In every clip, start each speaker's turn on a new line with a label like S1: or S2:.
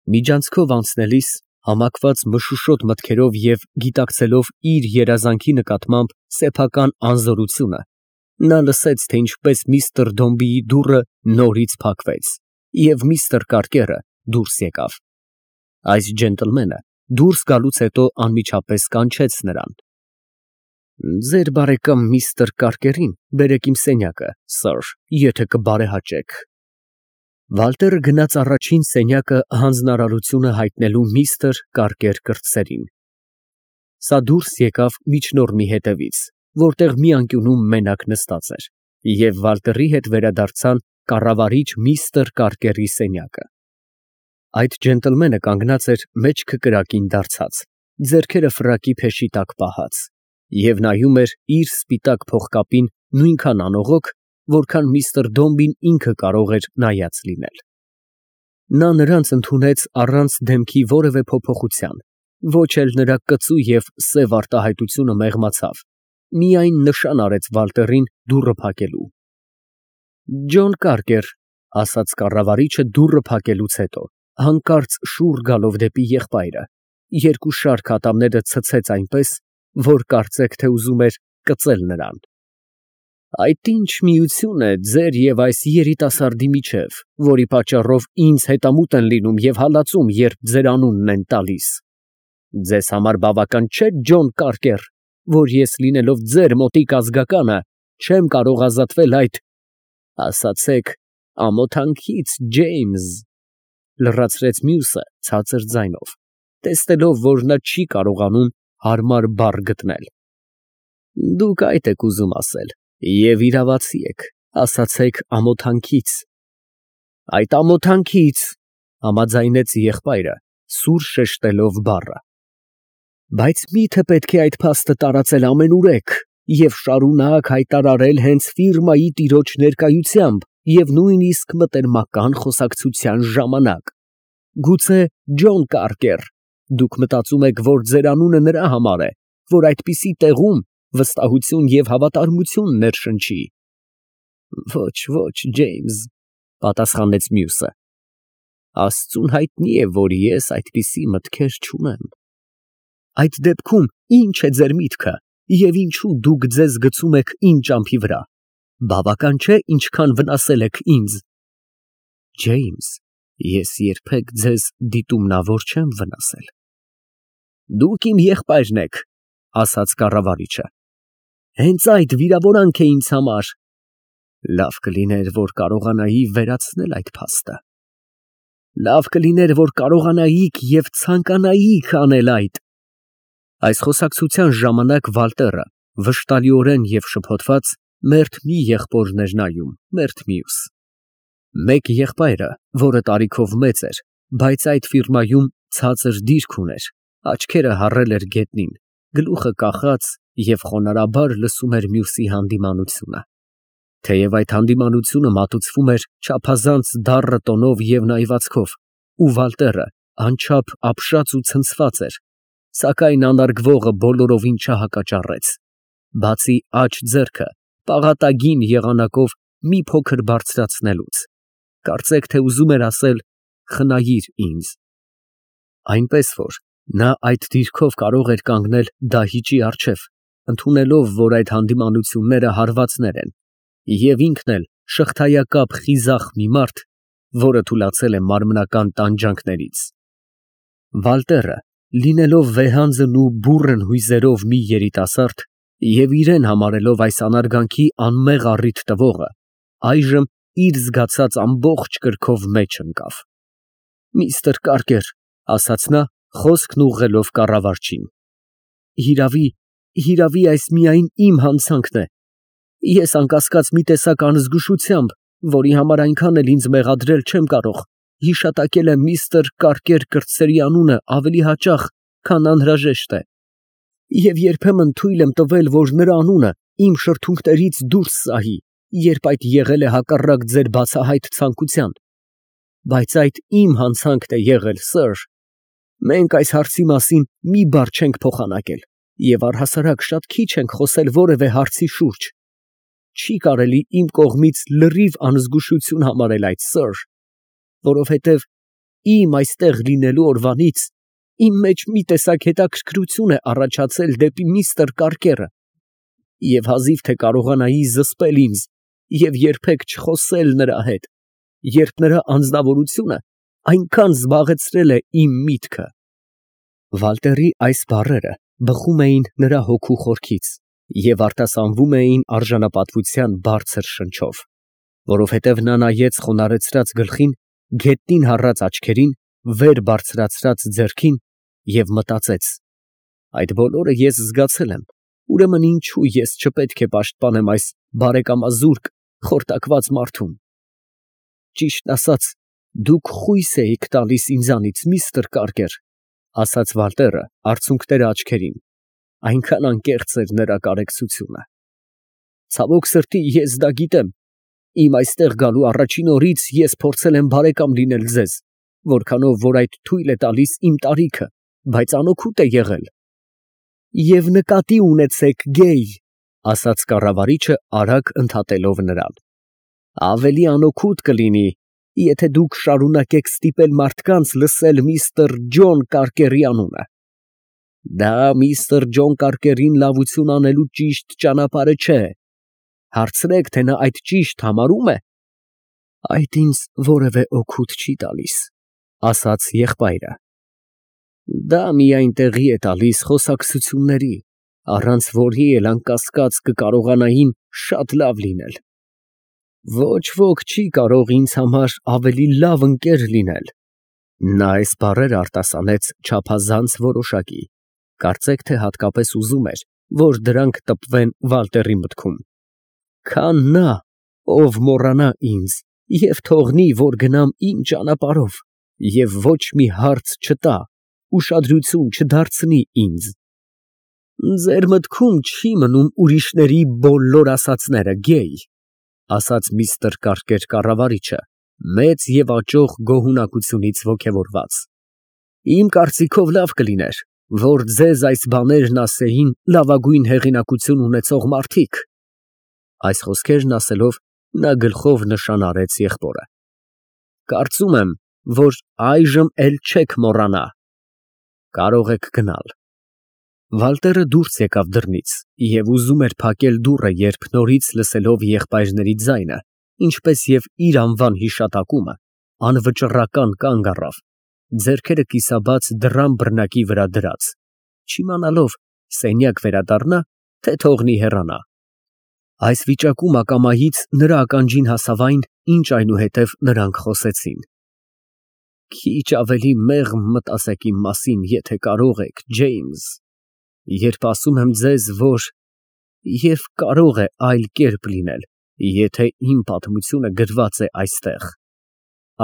S1: Միջանցքով անցնելիս, համակված մշուշոտ մտքերով և գիտակցելով իր երազանքի նկատմամբ սեփական անզորությունը, նա լսեց, թե ինչպես միստր Դոմբիի դուռը նորից փակվեց, և միստր Կարկերը դուրս եկավ։ Այս ջենտլմենը դուրս գալուց հետո անմիջապես կանչեց նրան. «Ձեր բարեկամ միստր Կարկերին բերեք իմ սենյակը, սըր, եթե կբարեհաճեք»։ Վալտերը գնաց առաջին սենյակը հանձնարարությունը հայտնելու միստր Կարկեր կրտսերին։ Սա դուրս եկավ միջնորմի հետևից, որտեղ մի անկյունում մենակ նստած էր, և Վալտերի հետ վերադարձան կառավարիչ միստր Կարկերի սենյակը։ Այդ ջենտլմենը կանգնած էր մեջքը կրակին դարձած, ձեռքերը ֆրակի փեշի տակ պահած, և նայում էր իր սպիտակ փողկապին նույնքան անողոք, որքան միստր Դոմբին ինքը կարող էր նայած լինել։ Նա նրանց ընդունեց առանց դեմքի որևէ փոփոխության, ոչ էլ նրա կծու և սև արտահայտությունը մեղմացավ, միայն նշան արեց Վալտերին դուռը փակելու։ «Ջոն Կարկեր», ֊ ասաց կառավարիչը դուռը փակելուց հետո, հանկարծ շուռ գալով դեպի եղբայրը, երկու շարք ատամները ցցեց այնպես, որ կարծեք, թե ուզում էր կծել նրան։ «Այդ ի՞նչ միություն է ձեր և այս երիտասարդի միջև, որի պատճառով ինձ հետամուտ են լինում և հալածում, երբ ձեր անունն են տալիս։ Ձեզ համար բավական չէ, Ջոն Կարկեր, որ ես լինելով ձեր մոտիկ ազգականը, չեմ կարող ազատվել այդ… ասացեք, ամոթանքից, Ջեյմս», ֊ լրացրեց մյուսը ցածր ձայնով, տեսնելով, որ նա չի կարողանում հարմար բառ գտնել։ «Դուք այդ եք ուզում ասել և իրավացի եք, ասացեք ամոթանքից»։ «Այդ ամոթանքից», ֊ համաձայնեց եղբայրը, սուր շեշտելով բառը։ «Բայց մի՞թե պետք է այդ փաստը տարածել ամենուրեք և շարունակ հայտարարել հենց ֆիրմայի տիրոջ ներկայությամբ և նույնիսկ մտերմական խոսակցության ժամանակ։ Գուցե, Ջոն Կարկեր, դուք մտածում եք, որ ձեր անունը նրա համար է, որ այդպիսի տեղում վստահություն և հավատարմություն ներշնչի»։ «Ոչ, ոչ, Ջեյմս», ֊ պատասխանեց մյուսը, «Աստծուն հայտնի է, որ ես այդպիսի մտքեր չունեմ»։ «Այդ դեպքում ի՞նչ է ձեր միտքը և ինչու դուք ձեզ գցում եք իմ ճամփի վրա, բավական չէ, ինչքան վնասել եք ինձ»։ «Ջեյմս, ես երբեք ձեզ դիտումնավոր չեմ վնասել»։ «Դուք իմ եղբայրն եք», ֊ ասաց կառավարիչը։ «Հենց այդ վիրավորանք է ինձ համար»։ «Լավ կլիներ, որ կարողանայի վերացնել այդ փաստը»։ «Լավ կլիներ, որ կարողանայիք և ցանկանայիք անել այդ»։ Այս խոսակցության ժամանակ Վալտերը, վշտալիորեն և շփոթված, մերթ մի եղբորն էր նայում, մերթ մյուս։ Մեկ եղբայրը, որը տարիքով մեծ էր, բայց այդ ֆիրմայում ցածր դիրք ուներ, աչքերը հառել էր գետնին, գլուխը կախած և խոնարհաբար լսում էր մյուսի հանդիմանությունը։ Թեև այդ հանդիմանությունը մատուցվում էր չափազանց դառը տոնով և նայվածքով, ու Վալտերը անչափ ապշած ու ցնցված էր, սակայն անարգվողը բոլորովին չհակաճառեց, բացի աջ ձեռքը պաղատագին եղանակով մի փոքր բարձրացնելուց, կարծեք, թե ուզում էր ասել. «Խնայիր ինձ»։ Այնպես որ նա այդ դիրքով կարող էր կանգնել դահիճի առջև, ընդունելով, որ այդ հանդիմանությունները հարվածներ են, և ինքն էլ շղթայակապ խիզախ մի մարդ, որը թուլացել է մարմնական տանջանքներից։ Վալտերը, լինելով վեհանձն ու բուռն հույզերով մի երիտասարդ և իրեն համարելով այս անարգանքի անմեղ առիթ տվողը, այժմ իր զգացած ամբողջ կրքով մեջ ընկավ։ «Միստր Կարկեր», ֊ ասաց նա, խոսքն ուղղելով կառավարչին, հիրավի, այս միայն իմ հանցանքն է։ Ես անկասկած մի տեսակ անզգուշությամբ, որի համար այնքան էլ ինձ մեղադրել չեմ կարող, հիշատակել եմ միստր Կարկեր կրտսերի անունը ավելի հաճախ, քան անհրաժեշտ է, և երբեմն թույլ եմ տվել, որ նրա անունը իմ շրթունքներից դուրս սահի, երբ այդ եղել է հակառակ ձեր բացահայտ ցանկության։ Բայց այդ իմ հանցանքն է եղել, սըր։ Մենք այս հարցի մասին մի բառ չենք փոխանակել և առհասարակ շատ քիչ ենք խոսել որևէ հարցի շուրջ։ Չի կարելի իմ կողմից լրիվ անզգուշություն համարել այդ, սըր, որովհետև իմ այստեղ լինելու օրվանից իմ մեջ մի տեսակ հետաքրքրություն է առաջացել դեպի միստր Կարկերը, և հազիվ թե կարողանայի զսպել ինձ և երբեք չխոսել նրա հետ, երբ նրա անձնավորությունը այնքան զբաղեցրել է իմ միտքը։ Վալտերի այս բառերը բխում էին նրա հոգու խորքից և արտասանվում էին արժանապատվության բարձր շնչով, որովհետև նա նայեց խոնարհեցրած գլխին, գետնին հառած աչքերին, վեր բարձրացրած ձեռքին և մտածեց. այդ բոլորը ես զգացել եմ, ուրեմն ինչո՞ւ ես չպետք է պաշտպանեմ այս բարեկամազուրկ, խորտակված մարդուն։ Ճիշտն ասած, դուք խույս էիք տալիս ինձանից, միստր Կարկեր, ասաց Վալտերը արցունքները աչքերին, այնքան անկեղծ էր նրա կարեկցությունը։ Ցավոք սրտի, ես դա գիտեմ, իմ այստեղ գալու առաջին օրից ես փորձել եմ բարեկամ լինել ձեզ, որքանով որ այդ թույլ է տալիս իմ տարիքը, բայց անօգուտ է եղել։ Եվ նկատի ունեցեք, գեյ, ասաց կառավարիչը արագ ընդհատելով նրան, ավելի անօգուտ կլինի, եթե դուք շարունակեք ստիպել մարդկանց լսել միստր Ջոն Կարկերի անունը։ Դա միստր Ջոն Կարկերին լավություն անելու ճիշտ ճանապարհը չէ։ Հարցրեք, թե նա այդ ճիշտ համարում է։ Այդ ինձ որևէ օգուտ չի տալիս, ասաց եղբայրը։ Դա միայն տեղի է տալիս խոսակցությունների, առանց որի էլ անկասկած կկարողանային շատ լավ լինել։ Ոչ ոք չի կարող ինձ համար ավելի լավ ընկեր լինել։ Նա այս բառերը արտասանեց չափազանց որոշակի, կարծեք թե հատկապես ուզում էր, որ դրանք տպվեն Վալտերի մտքում, քան նա, ով մոռանա ինձ և թողնի, որ գնամ իմ ճանապարհով և ոչ մի հարց չտա, ուշադրություն չդարձնի ինձ։ Ձեր մտքում չի մնում ուրիշների բոլոր ասածները, գեյ, ասաց միստր Կարկեր կառավարիչը, մեծ և աճող գոհունակությունից ոգևորված։ Իմ կարծիքով լավ կլիներ, որ ձեզ այս բաներն ասեին լավագույն հեղինակություն ունեցող մարդիկ։ Այս խոսքերն ասելով, նա գլխով նշան արեց եղբորը։ Կարծում եմ, որ այժմ էլ չեք մոռանա։ Կարող եք գնալ։ Վալտերը դուրս եկավ դռնից և ուզում էր փակել դուռը, երբ նորից լսելով եղբայրների ձայնը, ինչպես և իր անվան հիշատակումը, անվճռական կանգ առավ, ձեռքերը կիսաբաց դռան բռնակի վրա դրած, չիմանալով սենյակ վերադառնա, թե թողնի հեռանա։ Այս վիճակում ակամայից նրա ականջին հասավ այն, ինչ այնուհետև նրանք խոսեցին։ Քիչ ավելի մեղմ մտածեք իմ մասին, եթե կարող եք, Ջեյմս, երբ ասում եմ ձեզ, որ և կարող է այլ կերպ լինել, եթե իմ պատմությունը գրված է այստեղ,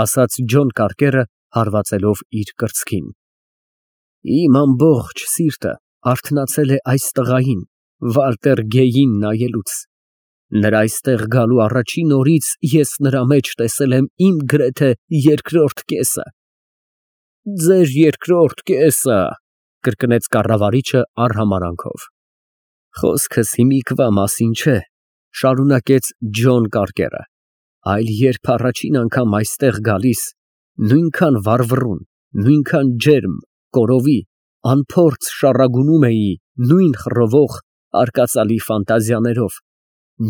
S1: ասաց Ջոն Կարկերը, հարվածելով իր կրծքին։ Իմ ամբողջ սիրտը արթնացել է այս տղային, Վալտեր Գեյին նայելուց։ Նրա այստեղ գալու առաջին օրից ես նրա մեջ տեսել եմ իմ գրեթե երկրորդ կեսը։ Ձեր երկրորդ կեսը, կրկնեց կառավարիչը արհամարհանքով։ Խոսքս հիմիկվա մասին չէ, շարունակեց Ջոն Կարկերը, այլ երբ առաջին անգամ այստեղ գալիս, նույնքան վառվռուն, նույնքան ջերմ, կորովի, անփորձ շառագունում էի նույն խռովող, արկածալի ֆանտազիաներով,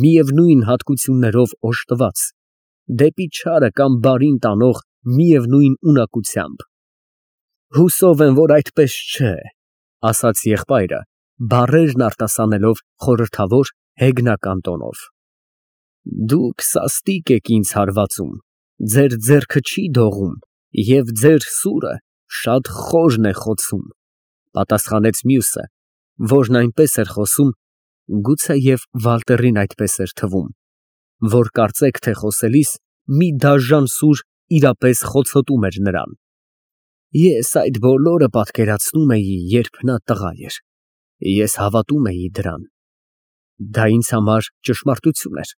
S1: միևնույն հատկություններով օժտված, դեպի չարը կամ բարին տանող միևնույն ունակությամբ։ Հուսով եմ, որ այդպես չէ, ասաց եղբայրը, բառերն արտասանելով խորհրդավոր, հեգնական տոնով։ Դուք սաստիկ եք ինձ հարվածում, ձեր ձեռքը չի դողում և ձեր սուրը շատ խորն է խոցում, պատասխանեց մյուսը, որն այնպես էր խոսում, գուցեև Վալտերին այդպես էր թվում, որ կարծեք թե խոսելիս մի դաժան սուր իրապես խոցոտում էր նրան։ Ես այդ բոլորը պատկերացնում էի, երբ նա տղա էր, ես հավատում էի դրան։ Դա ինձ համար ճշմարտություն էր։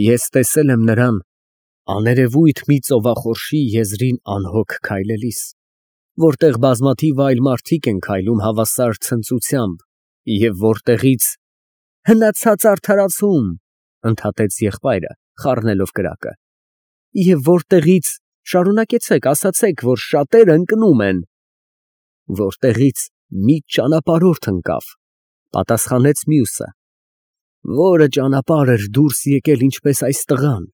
S1: Ես տեսել եմ նրան աներևույթ մի ծովախորշի եզրին անհոգ քայլելիս, որտեղ բազմաթիվ այլ մարդիկ են քայլում հավասար ցնծությամբ և որտեղից… Հնացած արդարացում, ընդհատեց եղբայրը, խառնելով կրակը, և որտեղից Շարունակեցեք, ասացեք, որ շատերը ընկնում են։ Որտեղից մի ճանապարհորդ ընկավ, պատասխանեց մյուսը։ Որը ճանապարհ էր դուրս եկել ինչպես այս տղան,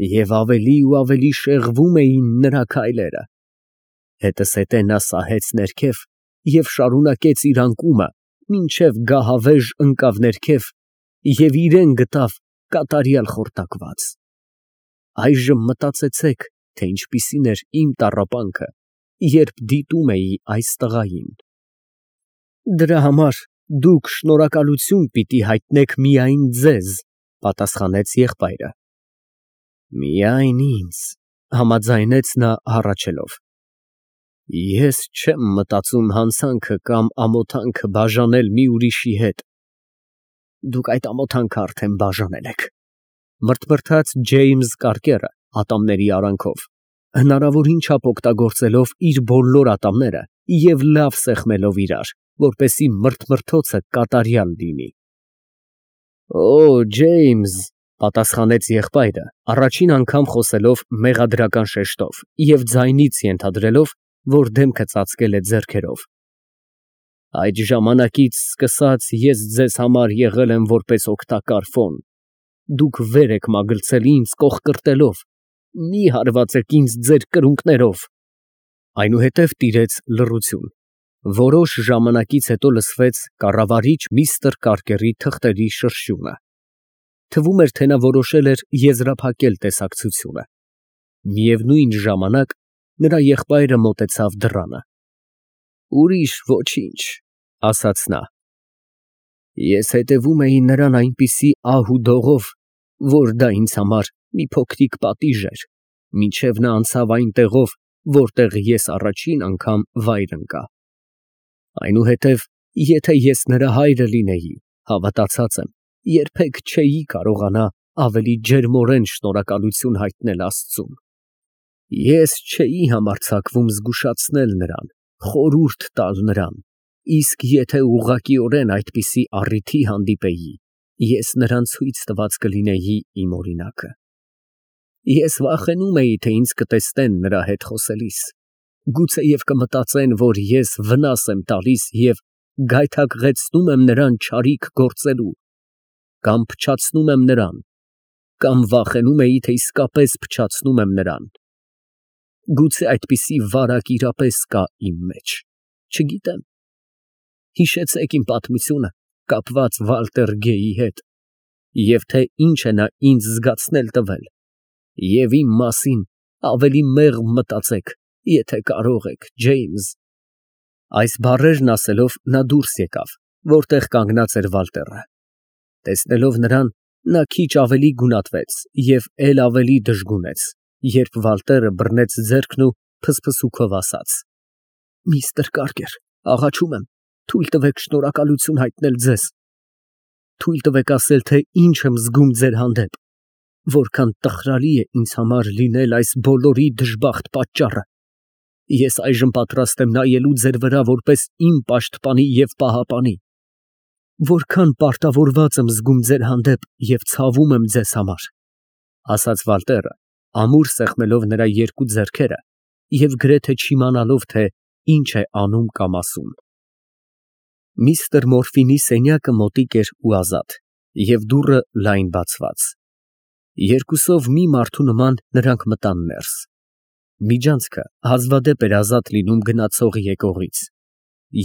S1: և ավելի ու ավելի շեղվում էին նրա քայլերը։ Հետզհետե նա սահեց ներքև և շարունակեց իր անկումը, մինչև գահավեժ ընկավ ներքև և իրան գտավ կատարյալ խորտակված։ Այժմ մտածեցեք, թե ինչպիսին էր իմ տառապանքը, երբ դիտում էի այս տղային։ Դրա համար դուք շնորհակալություն պիտի հայտնեք միայն ձեզ, պատասխանեց եղբայրը։ Միայն ինձ, համաձայնեց նա հառաչելով։ Ես չեմ մտածում հանցանքը կամ ամոթանքը բաժանել մի ուրիշի հետ։ Դուք այդ ամոթանքը արդեն բաժանել եք, մրթմրթաց Ջեյմս Կարկերը ատամների արանքով, հնարավորին չափ օգտագործելով իր բոլոր ատամները և լավ սեղմելով իրար, որպեսզի մրթմրթոցը կատարյալ լինի։ Օ, Ջեյմս, պատասխանեց եղբայրը, առաջին անգամ խոսելով մեղադրական շեշտով և ձայնից ենթադրելով, որ դեմքը ծածկել է ձեռքերով։ Այդ ժամանակից սկսած ես ձեզ համար եղել եմ որպես օգտակար ֆոն։ Դուք վեր եք մագլցել ինձ կոխկրտելով, մի հարվածեք ինձ ձեր կրունկներով։ Այնուհետև տիրեց լռություն։ Որոշ ժամանակից հետո լսվեց կառավարիչ միստր Կարկերի թղթերի շրշյունը։ Թվում էր, թե նա որոշել էր եզրափակել տեսակցությունը։ Միևնույն ժամանակ նրա եղբայրը մոտեցավ դռանը։ Ուրիշ ոչինչ, ասաց նա։ Ես հետևում էի նրան այնպիսի ահ ու դողով, որ դա ինձ համար մի փոքրիկ պատիժ էր, մինչև նա անցավ այն տեղով, որտեղ ես առաջին անգամ վայր ընկա։ Այնուհետև, եթե ես նրա հայրը լինեի, հավատացած եմ, երբեք չէի կարողանա ավելի ջերմորեն շնորհակալություն հայտնել Աստծուն։ Ես չէի համարձակվում զգուշացնել նրան, խորհուրդ տալ նրան, իսկ եթե ուղղակիորեն այդպիսի առիթի հանդիպեի, ես նրան ցույց տված կլինեի իմ օրինակը։ Ես վախենում էի, թե ինձ կտեսնեն նրա հետ խոսելիս, գուցեև կմտածեն, որ ես վնաս եմ տալիս և գայթակղեցնում եմ նրան չարիք գործելու, կամ փչացնում եմ նրան, կամ վախենում էի, թե իսկապես փչացնում եմ նրան։ Գուցե այդպիսի վարակ իրապես կա իմ մեջ, չգիտեմ։ Հիշեցեք իմ պատմությունը կապված Վալտեր Գեյի հետ, և թե ինչ է նա ինձ զգացնել տվել, և իմ մասին ավելի մեղմ մտածեք, եթե կարող եք, Ջեյմս։ Այս բառերն ասելով նա դուրս եկավ, որտեղ կանգնած էր Վալտերը։ Տեսնելով նրան, նա քիչ ավելի գունատվեց և էլ ավելի դժգունեց, երբ Վալտերը բռնեց ձեռքն ու փսփսուքով ասաց. Միստր Կարկեր, աղաչում եմ, թույլ տվեք շնորհակալություն հայտնել ձեզ։ Թույլ տվեք ասել, թե ինչ եմ զգում ձեր հանդեպ, որքան տխրալի է ինձ համար լինել այս բոլորի դժբախտ պատճառը։ Ես այժմ պատրաստ եմ նայելու ձեր վրա որպես իմ պաշտպանի և պահապանի։ Որքան պարտավորված եմ զգում ձեր հանդեպ և ցավում եմ ձեզ համար, ասաց Վալտերը, ամուր սեղմելով նրա երկու ձեռքերը և գրեթե չիմանալով, թե ինչ է անում կամ ասում։ Միստր Մորֆինի սենյակը մոտիկ էր ու ազատ, և դուռը լայն բացված։ Երկուսով մի մարդու նման նրանք մտան ներս։ Միջանցքը հազվադեպ էր ազատ լինում գնացող եկողից։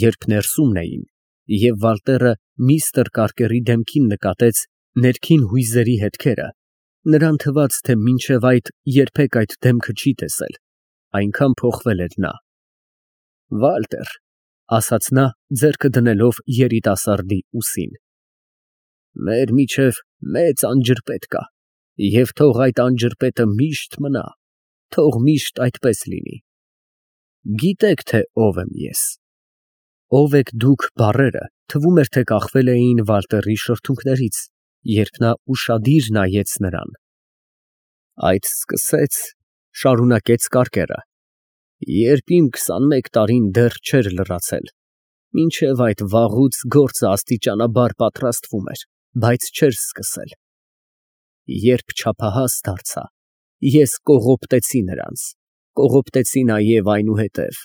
S1: Երբ ներսումն էին, և Վալտերը միստր Կարկերի դեմքին նկատեց ներքին հույզերի հետքերը, նրան թվաց, թե մինչև այդ երբեք այդ դեմքը չի տեսել, այնքան փոխվել էր նա։ Վալտեր, ասաց նա, ձեռքը դնելով երիտասարդի ուսին, մեր միջև մեծ անջրպետ կա, և թող այդ անջրպետը միշտ մնա, թող միշտ այդպես լինի։ Գիտեք, թե ով եմ ես։ Ով եք դուք բառերը թվում էր, թե կախվել էին Վալտերի շրթունքներից, երբ նա ուշադիր նայեց նրան։ Այդ սկսեց, շարունակեց Կարկերը, երբ իմ 21 տարին դեռ չէր լրացել, մինչև այդ վաղուց գործը աստիճանաբար պատրաստվում էր, բայց չէր սկսել։ Երբ չափահաս դարձա, ես կողոպտեցի նրանց, Կողոպտեցի նաև այնուհետև։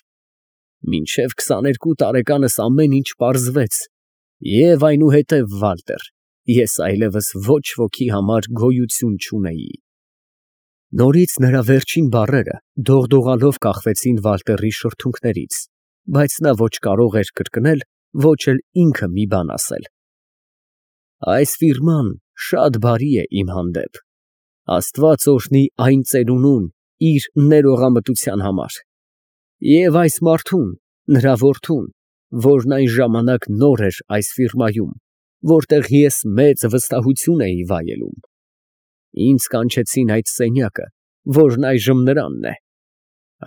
S1: Մինչև 22 տարեկանս ամեն ինչ պարզվեց, և այնուհետև, Վալտեր, ես այլևս ոչ ոքի համար գոյություն չունեի։ Նորից նրա վերջին բառերը դողդողալով կախվեցին Վալտերի շրթունքներից, բայց նա ոչ կարող էր կրկնել, ոչ էլ ինքը մի բան ասել։ Այս ֆիրման շատ բարի է իմ հանդեպ, Աստված օրհնի այն ծերունուն իր ներողամտության համար, և այս մարդուն, նրա որդուն, որն այն ժամանակ նոր էր այս ֆիրմայում, որտեղ ես մեծ վստահություն էի վայելում։ Ինձ կանչեցին այդ սենյակը, որն այժմ նրանն է,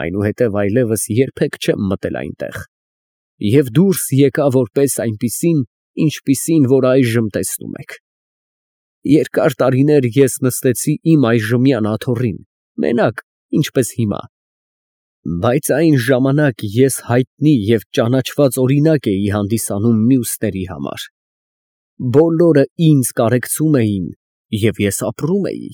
S1: այնուհետև այլևս երբեք չեմ մտել այնտեղ, և դուրս եկա որպես այնպիսին, ինչպիսին որ այժմ տեսնում եք։ Երկար տարիներ ես նստեցի իմ այժմյան աթոռին, մենակ, ինչպես հիմա, բայց այն ժամանակ ես հայտնի և ճանաչված օրինակ էի հանդիսանում մյուսների համար։ Բոլորը ինձ կարեկցում էին, և ես ապրում էի։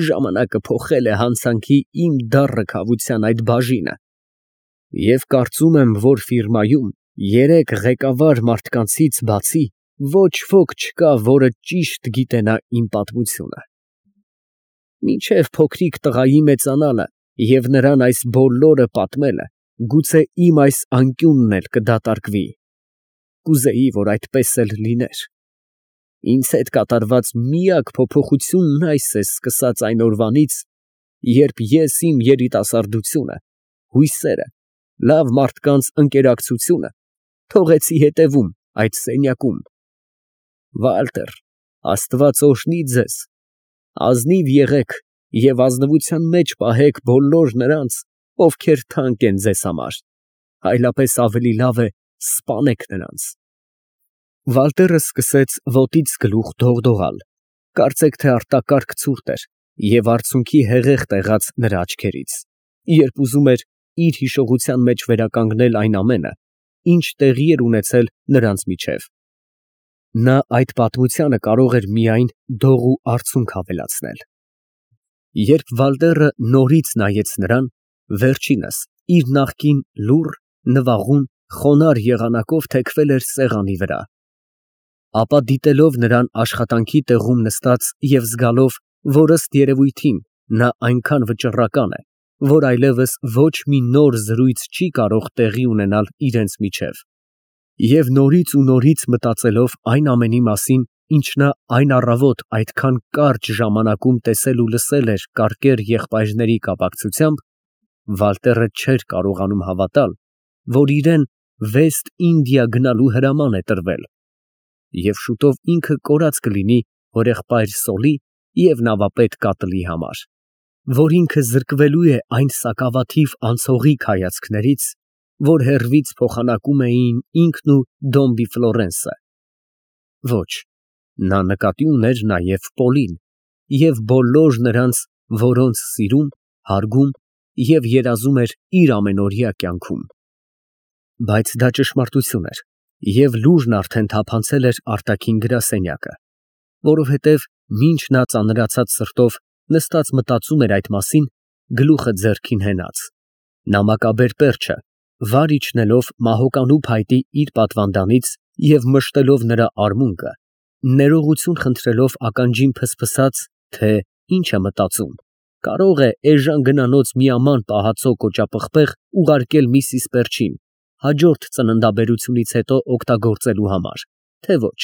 S1: Ժամանակը փոխել է հանցանքի իմ դառը քավության այդ բաժինը, և կարծում եմ, որ ֆիրմայում երեք ղեկավար մարդկանցից բացի ոչ ոք չկա, որը ճիշտ գիտենա իմ պատմությունը։ Մինչև փոքրիկ տղայի մեծանալը և նրան այս բոլորը պատմելը, գուցե իմ այս անկյունն էլ կդատարկվի։ Կուզեի, որ այդպես էլ լիներ։ Ինձ հետ կատարված միակ փոփոխությունն այս է սկսած այն օրվանից, երբ ես իմ երիտասարդությունը, հույսերը, լավ մարդկանց ընկերակցությունը թողեցի հետևում այդ սենյակում։ Վալտեր, Աստված օրհնի ձեզ, ազնիվ եղեք և ազնվության մեջ պահեք բոլոր նրանց, ովքեր թանկ են ձեզ համար, այլապես ավելի լավ է սպանեք նրանց։ Վալտերը սկսեց ոտից գլուխ դողդողալ, կարծեք թե արտակարգ ցուրտ էր և արցունքի հեղեղ տեղաց նրա աչքերից, երբ ուզում էր իր հիշողության մեջ վերականգնել այն ամենը, ինչ տեղի էր ունեցել նրանց միջև։ Նա այդ պատմությանը կարող էր միայն դող ու արցունք ավելացնել։ Երբ Վալտերը նորից նայեց նրան, վերջինս իր նախկին լուռ, նվաղում, խոնարհ եղանակով թեքվել էր սեղանի վրա, ապա դիտելով նրան աշխատանքի տեղում նստած և զգալով, որ ըստ երևույթին նա այնքան վճռական է, որ այլևս ոչ մի նոր զրույց չի կարող տեղի ունենալ իրենց միջև, և նորից ու նորից մտածելով այն ամենի մասին, ինչ նա այն առավոտ այդքան կարճ ժամանակում տեսել ու լսել էր կարկեր եղբայրների կապակցությամբ, Վալտերը չէր կարողանում հավատալ, որ իրան Վեստ Ինդիա գնալու հրաման է տրվել, և շուտով ինքը կորած կլինի հորեղբայր Սոլի և նավապետ Կատլի համար, որ ինքը զրկվելու է այն սակավաթիվ անցողիկ հայացքներից, որ հեռվից փոխանակում էին ինքն ու Դոմբի Ֆլորենսը։ Ոչ, նա նկատի ուներ նաև Պոլին և բոլոր նրանց, որոնց սիրում, հարգում և երազում էր իր ամենօրյա կյանքում։ Բայց դա ճշմարտություն էր, և լուրն արդեն թափանցել էր արտաքին գրասենյակը, որովհետև մինչ նա ծանրացած սրտով նստած մտածում էր այդ մասին, գլուխը ձեռքին հենած, նամակաբեր պերճը վար իջնելով մահոկանու փայտի իր պատվանդանից և մշտելով նրա արմունկը, ներողություն խնդրելով ականջին փսփսաց, թե ինչ է մտածում, կարող է էժան գնանոց մի աման պահածո կոճապղպեղ ուղարկել միսիս Պերճին հաջորդ ծննդաբերությունից հետո օգտագործելու համար, թե ոչ։